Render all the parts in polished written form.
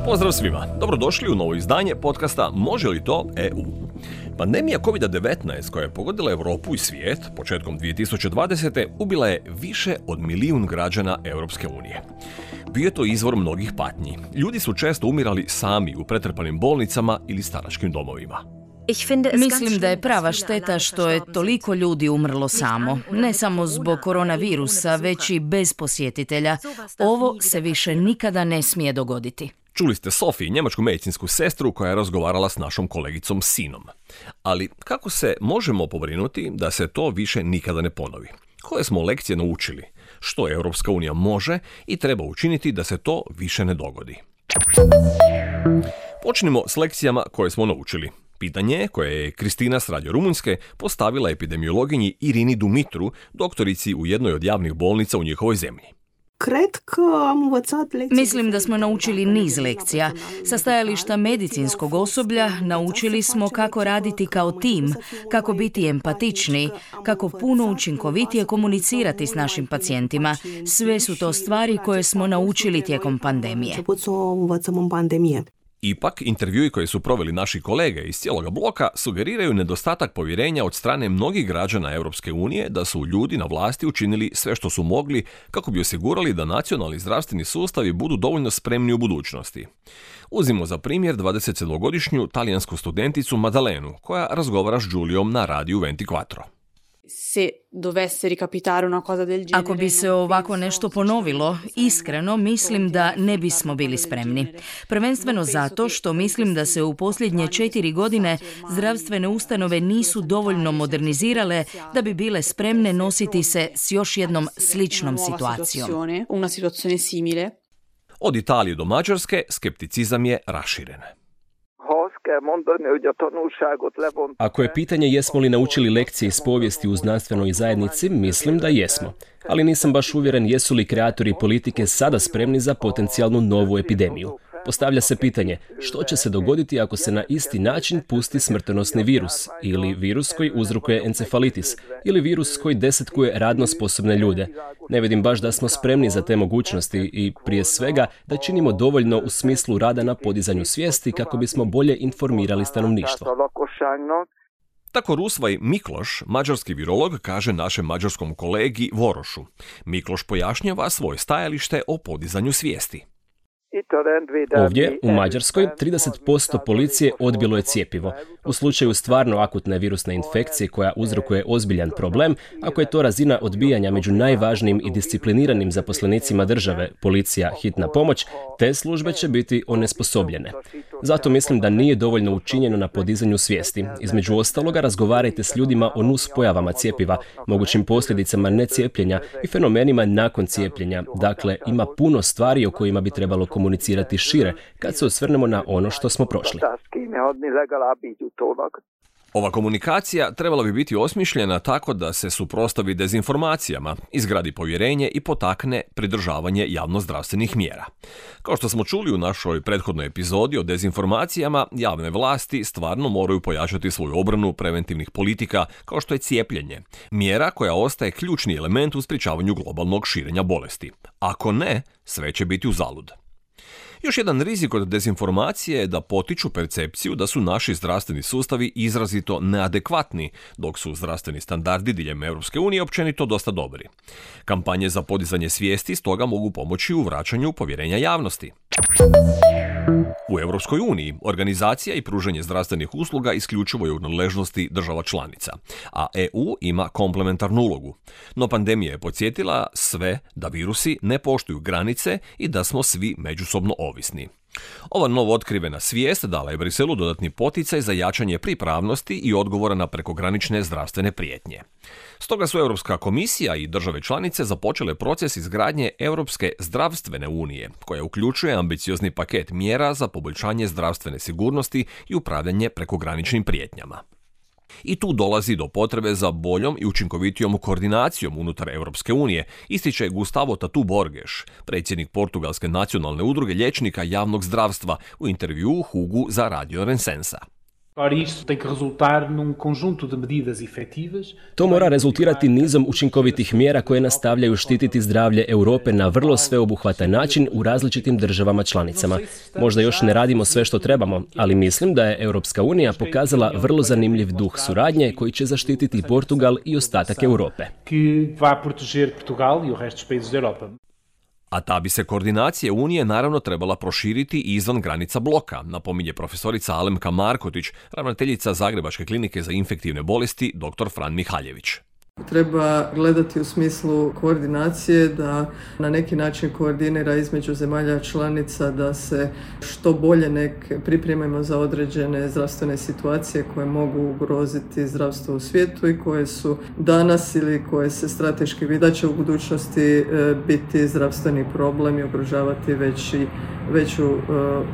Pozdrav svima, dobrodošli u novo izdanje podcasta Može li to EU? Pandemija COVID-19 koja je pogodila Europu i svijet početkom 2020. ubila je više od 1 milijun građana Europske unije. Bio je to izvor mnogih patnji. Ljudi su često umirali sami u pretrpanim bolnicama ili staračkim domovima. Mislim da je prava šteta što je toliko ljudi umrlo samo. Ne samo zbog koronavirusa, već i bez posjetitelja. Ovo se više nikada ne smije dogoditi. Čuli ste Sofiju, njemačku medicinsku sestru koja je razgovarala s našom kolegicom Sinom. Ali kako se možemo pobrinuti da se to više nikada ne ponovi? Koje smo lekcije naučili? Što Europska unija može i treba učiniti da se to više ne dogodi? Počnimo s lekcijama koje smo naučili. Pitanje koje je Kristina s Radio Rumunjske postavila epidemiologinji Irini Dumitru, doktorici u jednoj od javnih bolnica u njihovoj zemlji. Mislim da smo naučili niz lekcija. Sa stajališta medicinskog osoblja naučili smo kako raditi kao tim, kako biti empatični, kako puno učinkovitije komunicirati s našim pacijentima. Sve su to stvari koje smo naučili tijekom pandemije. Ipak, intervjui koje su proveli naši kolege iz cijeloga bloka sugeriraju nedostatak povjerenja od strane mnogih građana Europske unije da su ljudi na vlasti učinili sve što su mogli kako bi osigurali da nacionalni zdravstveni sustavi budu dovoljno spremni u budućnosti. Uzmimo za primjer 27-godišnju talijansku studenticu Maddalenu, koja razgovara s Giuliom na radiju 24. Ako bi se ovako nešto ponovilo, iskreno mislim da ne bismo bili spremni. Prvenstveno zato što mislim da se u posljednje 4 godine zdravstvene ustanove nisu dovoljno modernizirale da bi bile spremne nositi se s još jednom sličnom situacijom. Od Italije do Mađarske skepticizam je raširen. Ako je pitanje jesmo li naučili lekcije iz povijesti u znanstvenoj zajednici, mislim da jesmo. Ali nisam baš uvjeren jesu li kreatori politike sada spremni za potencijalnu novu epidemiju. Postavlja se pitanje što će se dogoditi ako se na isti način pusti smrtonosni virus, ili virus koji uzrokuje encefalitis, ili virus koji desetkuje radno sposobne ljude. Ne vidim baš da smo spremni za te mogućnosti i prije svega da činimo dovoljno u smislu rada na podizanju svijesti kako bismo bolje informirali stanovništvo. Tako Rusvaj Mikloš, mađarski virolog, kaže našem mađarskom kolegi Vorošu. Mikloš pojašnjava svoje stajalište o podizanju svijesti. Ovdje, u Mađarskoj, 30% policije odbilo je cjepivo. U slučaju stvarno akutne virusne infekcije koja uzrokuje ozbiljan problem, ako je to razina odbijanja među najvažnijim i discipliniranim zaposlenicima države, policija, hitna pomoć, te službe će biti onesposobljene. Zato mislim da nije dovoljno učinjeno na podizanju svijesti. Između ostaloga, razgovarajte s ljudima o nuspojavama cjepiva, mogućim posljedicama necijepljenja i fenomenima nakon cijepljenja. Dakle, ima puno stvari o kojima bi trebalo komunicirati šire kad se osvrnemo na ono što smo prošli. Ova komunikacija trebala bi biti osmišljena tako da se suprotstavi dezinformacijama, izgradi povjerenje i potakne pridržavanje javnozdravstvenih mjera. Kao što smo čuli u našoj prethodnoj epizodi o dezinformacijama, javne vlasti stvarno moraju pojačati svoju obranu preventivnih politika kao što je cijepljenje, mjera koja ostaje ključni element u sprječavanju globalnog širenja bolesti. Ako ne, sve će biti uzalud. Još jedan rizik od dezinformacije je da potiču percepciju da su naši zdravstveni sustavi izrazito neadekvatni, dok su zdravstveni standardi diljem Europske unije općenito dosta dobri. Kampanje za podizanje svijesti stoga mogu pomoći u vraćanju povjerenja javnosti. U Europskoj uniji organizacija i pružanje zdravstvenih usluga isključivo je u nadležnosti država članica, a EU ima komplementarnu ulogu. No pandemija je podsjetila sve da virusi ne poštuju granice i da smo svi međusobno ovisni. Ova novo otkrivena svijest dala je Briselu dodatni poticaj za jačanje pripravnosti i odgovora na prekogranične zdravstvene prijetnje. Stoga su Europska komisija i države članice započele proces izgradnje Europske zdravstvene unije, koja uključuje ambiciozni paket mjera za poboljšanje zdravstvene sigurnosti i upravljanje prekograničnim prijetnjama. I tu dolazi do potrebe za boljom i učinkovitijom koordinacijom unutar Europske unije, ističe Gustavo Tatu Borges, predsjednik Portugalske nacionalne udruge liječnika javnog zdravstva u intervjuu Hugu za Radio Rensensa. To mora rezultirati nizom učinkovitih mjera koje nastavljaju štititi zdravlje Europe na vrlo sveobuhvatan način u različitim državama članicama. Možda još ne radimo sve što trebamo, ali mislim da je Europska unija pokazala vrlo zanimljiv duh suradnje koji će zaštititi Portugal i ostatak Europe. A ta bi se koordinacija Unije naravno trebala proširiti i izvan granica bloka, napominje profesorica Alemka Markotić, ravnateljica Zagrebačke klinike za infektivne bolesti dr. Fran Mihaljević. Treba gledati u smislu koordinacije, da na neki način koordinira između zemalja članica, da se što bolje pripremimo za određene zdravstvene situacije koje mogu ugroziti zdravstvo u svijetu i koje su danas ili koje se strateški vidi da će u budućnosti biti zdravstveni problem i ugrožavati veću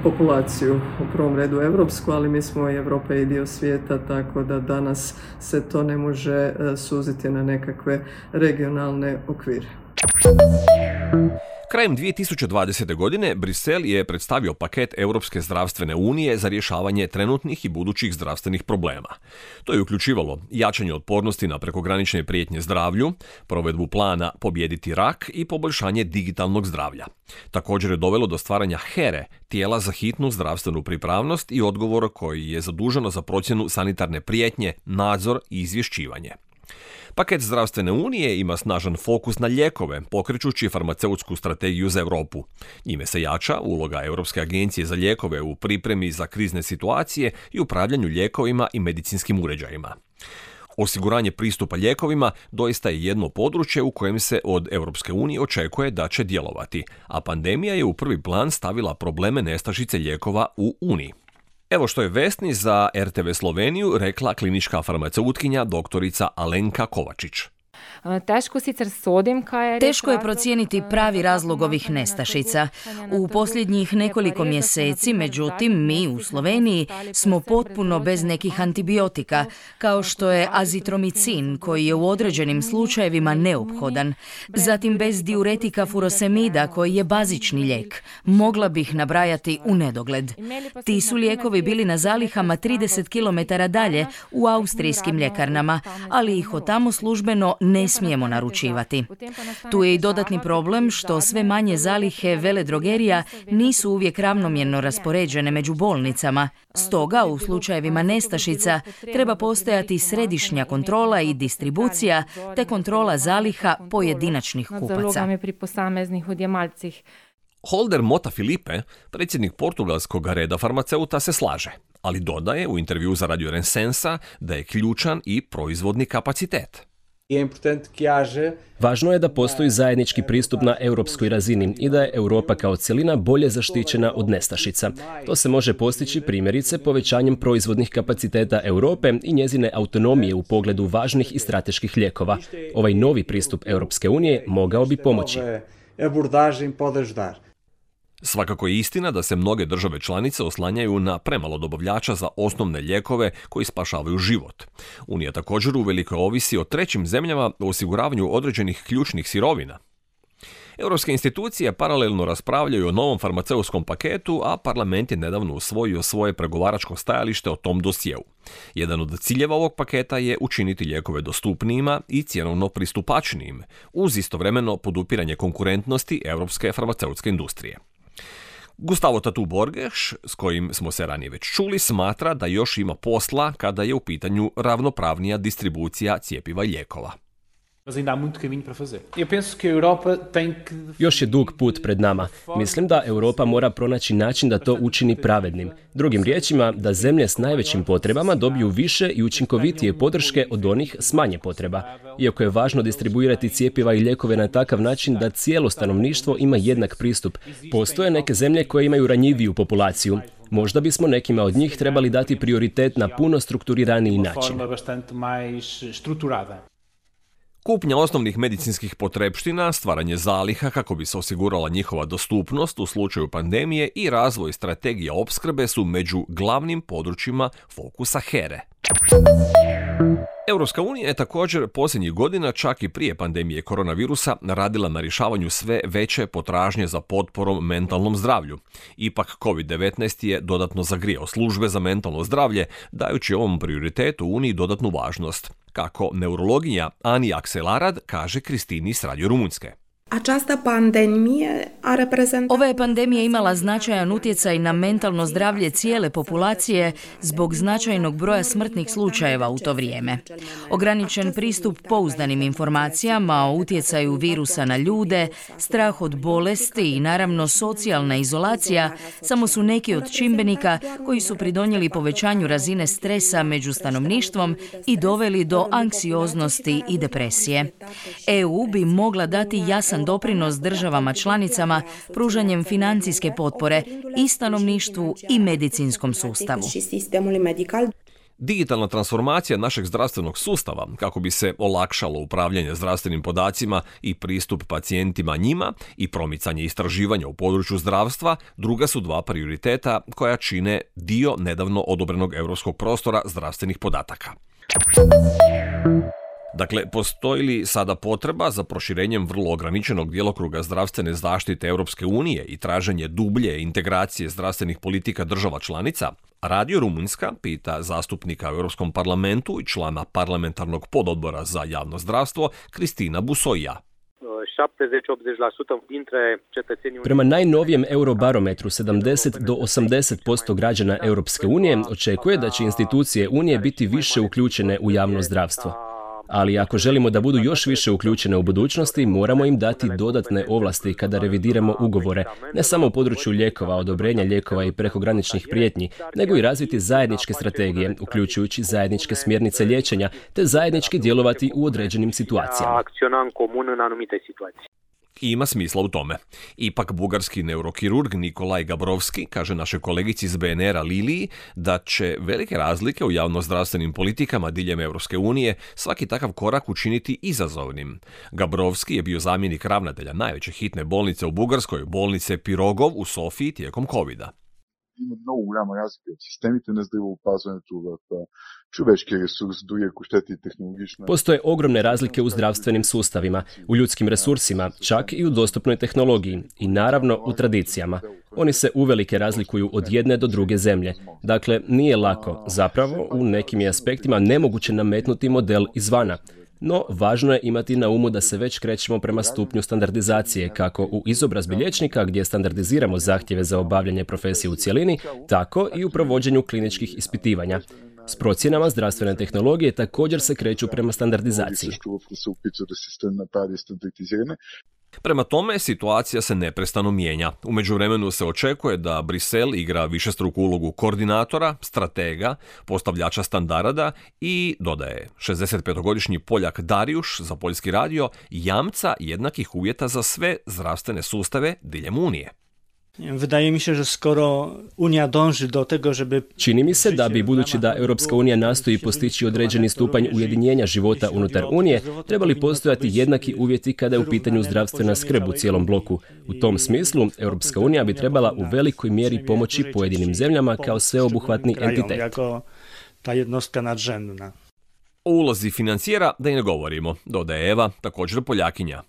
populaciju, u prvom redu europsku, ali mi smo i Europa i dio svijeta, tako da danas se to ne može suziti na nekakve regionalne okvire. Krajem 2020. godine Brisel je predstavio paket Europske zdravstvene unije za rješavanje trenutnih i budućih zdravstvenih problema. To je uključivalo jačanje otpornosti na prekogranične prijetnje zdravlju, provedbu plana Pobijediti rak i poboljšanje digitalnog zdravlja. Također je dovelo do stvaranja HERE, tijela za hitnu zdravstvenu pripravnost i odgovor koji je zaduženo za procjenu sanitarne prijetnje, nadzor i izvješćivanje. Paket zdravstvene unije ima snažan fokus na lijekove, pokrećući farmaceutsku strategiju za Europu. Njime se jača uloga Europske agencije za lijekove u pripremi za krizne situacije i upravljanju lijekovima i medicinskim uređajima. Osiguranje pristupa lijekovima doista je jedno područje u kojem se od Europske unije očekuje da će djelovati, a pandemija je u prvi plan stavila probleme nestašice lijekova u Uniji. Evo što je Vesni za RTV Sloveniju rekla klinička farmaceutkinja doktorica Alenka Kovačić. Teško je procijeniti pravi razlog ovih nestašica. U posljednjih nekoliko mjeseci, međutim, mi u Sloveniji smo potpuno bez nekih antibiotika, kao što je azitromicin, koji je u određenim slučajevima neophodan. Zatim bez diuretika furosemida, koji je bazični lijek. Mogla bih nabrajati u nedogled. Ti su lijekovi bili na zalihama 30 km dalje u austrijskim ljekarnama, ali ih od tamo službeno ne smijemo naručivati. Tu je i dodatni problem što sve manje zalihe veledrogerija nisu uvijek ravnomjerno raspoređene među bolnicama. Stoga, u slučajevima nestašica treba postojati središnja kontrola i distribucija te kontrola zaliha pojedinačnih kupaca. Holder Mota Filipe, predsjednik portugalskog reda farmaceuta, se slaže, ali dodaje u intervju za Radio Rensensa da je ključan i proizvodni kapacitet. Važno je da postoji zajednički pristup na europskoj razini i da je Europa kao cjelina bolje zaštićena od nestašica. To se može postići primjerice povećanjem proizvodnih kapaciteta Europe i njezine autonomije u pogledu važnih i strateških lijekova. Ovaj novi pristup Europske unije mogao bi pomoći. Svakako je istina da se mnoge države članice oslanjaju na premalo dobavljača za osnovne lijekove koji spašavaju život. Unija također uveliko ovisi o trećim zemljama o osiguravanju određenih ključnih sirovina. Europske institucije paralelno raspravljaju o novom farmaceutskom paketu, a parlament je nedavno usvojio svoje pregovaračko stajalište o tom dosjeu. Jedan od ciljeva ovog paketa je učiniti lijekove dostupnijima i cjenovno pristupačnijim, uz istovremeno podupiranje konkurentnosti europske farmaceutske industrije. Gustavo Tatu Borges, s kojim smo se ranije već čuli, smatra da još ima posla kada je u pitanju ravnopravnija distribucija cjepiva i lijekova. Još je dug put pred nama. Mislim da Europa mora pronaći način da to učini pravednim. Drugim riječima, da zemlje s najvećim potrebama dobiju više i učinkovitije podrške od onih s manje potreba. Iako je važno distribuirati cjepiva i lijekove na takav način da cijelo stanovništvo ima jednak pristup, postoje neke zemlje koje imaju ranjiviju populaciju. Možda bismo nekima od njih trebali dati prioritet na puno strukturiraniji način. Kupnja osnovnih medicinskih potrepština, stvaranje zaliha kako bi se osigurala njihova dostupnost u slučaju pandemije i razvoj strategija opskrbe su među glavnim područjima fokusa HERE. Europska unija je također posljednjih godina, čak i prije pandemije koronavirusa, radila na rješavanju sve veće potražnje za potporom mentalnom zdravlju. Ipak COVID-19 je dodatno zagrijao službe za mentalno zdravlje, dajući ovom prioritetu Uniji dodatnu važnost. Kako neurologinja Ani Akselarad kaže Kristini s Radio Rumunjske. Ova je pandemija imala značajan utjecaj na mentalno zdravlje cijele populacije zbog značajnog broja smrtnih slučajeva u to vrijeme. Ograničen pristup pouzdanim informacijama o utjecaju virusa na ljude, strah od bolesti i naravno socijalna izolacija samo su neki od čimbenika koji su pridonijeli povećanju razine stresa među stanovništvom i doveli do anksioznosti i depresije. EU bi mogla dati jasan doprinos državama članicama pružanjem financijske potpore i stanovništvu i medicinskom sustavu. Digitalna transformacija našeg zdravstvenog sustava, kako bi se olakšalo upravljanje zdravstvenim podacima i pristup pacijentima njima i promicanje istraživanja u području zdravstva, druga su dva prioriteta koja čine dio nedavno odobrenog europskog prostora zdravstvenih podataka. Dakle, postoji li sada potreba za proširenjem vrlo ograničenog djelokruga zdravstvene zaštite Europske unije i traženje dublje integracije zdravstvenih politika država članica? Radio Rumunjska pita zastupnika u Europskom parlamentu i člana parlamentarnog pododbora za javno zdravstvo Cristina Busoia. Prema najnovijem Eurobarometru, 70 do 80% građana Europske unije očekuje da će institucije Unije biti više uključene u javno zdravstvo. Ali ako želimo da budu još više uključene u budućnosti, moramo im dati dodatne ovlasti kada revidiramo ugovore, ne samo u području lijekova, odobrenja lijekova i prekograničnih prijetnji, nego i razviti zajedničke strategije, uključujući zajedničke smjernice liječenja, te zajednički djelovati u određenim situacijama. I ima smisla u tome. Ipak bugarski neurokirurg Nikolaj Gabrovski kaže našoj kolegici iz BNR-a Liliji da će velike razlike u javnozdravstvenim politikama diljem Europske unije svaki takav korak učiniti izazovnim. Gabrovski je bio zamjenik ravnatelja najveće hitne bolnice u Bugarskoj, bolnice Pirogov u Sofiji tijekom covida. Има много голяма разлика в системите на здравеопазването, в човешкия ресурс, дори ако щете и технологично. Postoje ogromne razlike u zdravstvenim sustavima, u ljudskim resursima, čak i u dostupnoj tehnologiji i naravno u tradicijama. Oni se uvelike razlikuju od jedne do druge zemlje. Dakle, nije lako, zapravo u nekim je aspektima nemoguće nametnuti model izvana. No, važno je imati na umu da se već krećemo prema stupnju standardizacije, kako u izobrazbi liječnika gdje standardiziramo zahtjeve za obavljanje profesije u cjelini, tako i u provođenju kliničkih ispitivanja. S procjenama zdravstvene tehnologije također se kreću prema standardizaciji. Prema tome, situacija se neprestano mijenja. U međuvremenu se očekuje da Brisel igra višestruku ulogu koordinatora, stratega, postavljača standarda i, dodaje 65-godišnji Poljak Darijuš za Poljski radio, jamca jednakih uvjeta za sve zdravstvene sustave diljem Unije. Wydaje mi się, że skoro Unia dąży do tego, żeby... Čini mi se da bi, budući da Europska unija nastoji postići određeni stupanj ujedinjenja života unutar Unije, trebali postojati jednaki uvjeti kada je u pitanju zdravstvena skrb u cijelom bloku. U tom smislu, Europska unija bi trebala u velikoj mjeri pomoći pojedinim zemljama kao sveobuhvatni entitet. Ta jednostka nadrzędna. O ulozi financijera da i ne govorimo, dodaje Eva, također Poljakinja.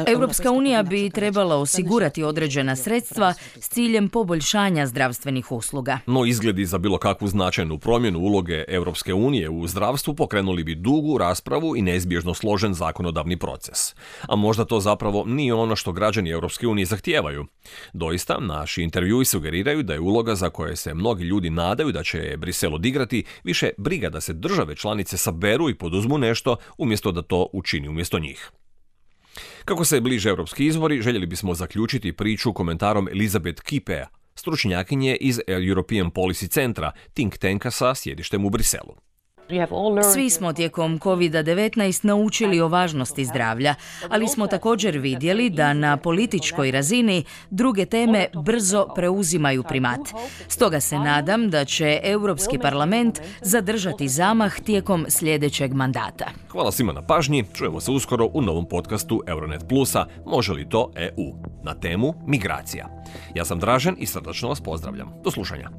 Europska unija bi trebala osigurati određena sredstva s ciljem poboljšanja zdravstvenih usluga. No izgledi za bilo kakvu značajnu promjenu uloge Europske unije u zdravstvu pokrenuli bi dugu raspravu i neizbježno složen zakonodavni proces. A možda to zapravo nije ono što građani Europske unije zahtijevaju. Doista, naši intervjui sugeriraju da je uloga za koje se mnogi ljudi nadaju da će Brisel odigrati više briga da se države članice saberu i poduzmu nešto umjesto da to učini umjesto njih. Kako se bliže europski izbori, željeli bismo zaključiti priču komentarom Elizabeth Kipea, stručnjakinje iz European Policy Centra, think tanka sa sjedištem u Briselu. Svi smo tijekom COVID-19 naučili o važnosti zdravlja, ali smo također vidjeli da na političkoj razini druge teme brzo preuzimaju primat. Stoga se nadam da će Europski parlament zadržati zamah tijekom sljedećeg mandata. Hvala svima na pažnji, čujemo se uskoro u novom podcastu Euronet Plusa Može li to EU? Na temu migracija. Ja sam Dražen i srdačno vas pozdravljam. Do slušanja.